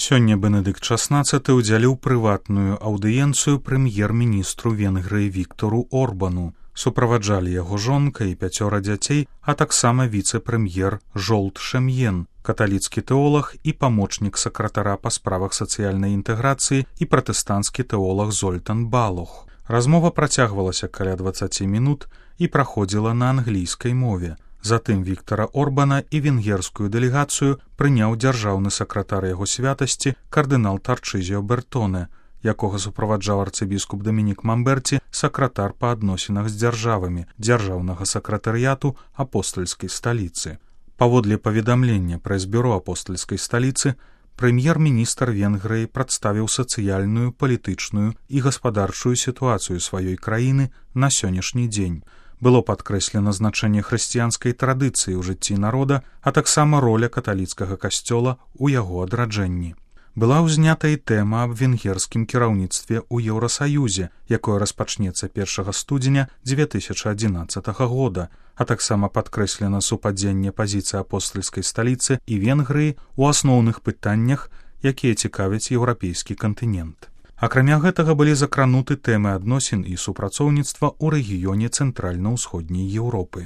Сёння Бенедыкт XVI ўдзяліў прыватную аўдыенцыю прэм'ер-міністру Венгрыі Віктору Орбану. Суправаджалі яго жонка і 5 дзяцей, а таксама віцэ-прэм'ер Жолт Шемьен, каталіцкі тэолаг і памочнік сакратара па справах сацыяльнай інтэграцыі і пратэстанцкі тэолаг Зольтан Балох. Размова працягвалася каля 20 мінут і праходзіла на англійскай мове. Затым Віктара Орбана і венгерскую дэлегацыю прыняў дзяржаўны сакратар яго святасці кардынал Тарчызіо Бертоне, якога суправаджаў арцыбіскуп Дамінік Мамберці, сакратар па адносінах з дзяржавамі дзяржаўнага сакратарыяту апостальскай сталіцы. Паводле паведамлення прэс-бюро апостальскай сталіцы, прэм'ер-міністр Венгрыі прадставіў сацыяльную, палітычную і гаспадарчую сітуацыю сваёй краіны на сённяшні дзень. Было падкрэслена значэнне хрысціянскай традыцыі ў жыцці народа, а таксама роля каталіцкага касцёла ў яго адраджэнні. Была ўзнята і тэма аб венгерскім кіраўніцтве ў Еўрасаюзе, якое распачнецца 1 студзеня 2011 года, а таксама падкрэслена супадзенне пазіцыі апостальскай сталіцы і Венгрыі ў асноўных пытаннях, якія цікавяць еўрапейскі кантынент. Акрамя гэтага былі закрануты тэмы адносін і супрацоўніцтва ў рэгіёне цэнтральна-ўсходняй Еўропы.